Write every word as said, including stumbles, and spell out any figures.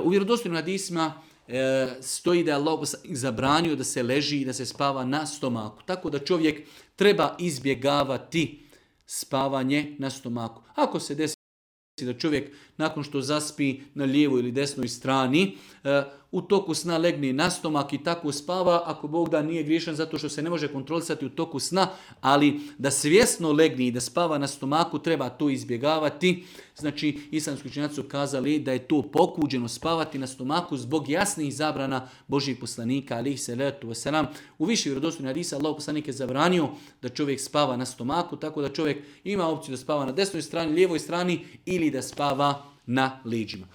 U vjerodostojnim hadisima e, stoji da je Allah zabranio da se leži i da se spava na stomaku. Tako da čovjek treba izbjegavati spavanje na stomaku. Ako se desi da čovjek nakon što zaspi na lijevoj ili desnoj strani, u toku sna legne na stomak i tako spava, ako Bog da nije griješan zato što se ne može kontrolisati u toku sna, ali da svjesno legne i da spava na stomaku treba to izbjegavati. Znači, islamski učenjaci su kazali da je to pokuđeno spavati na stomaku zbog jasnih zabrana Božjih poslanika, alejhi selatu vesselam. U više vjerodostojnih hadisa Allah poslanik je zabranio da čovjek spava na stomaku, tako da čovjek ima opciju da spava na desnoj strani, lijevoj strani ili da spava na leđima.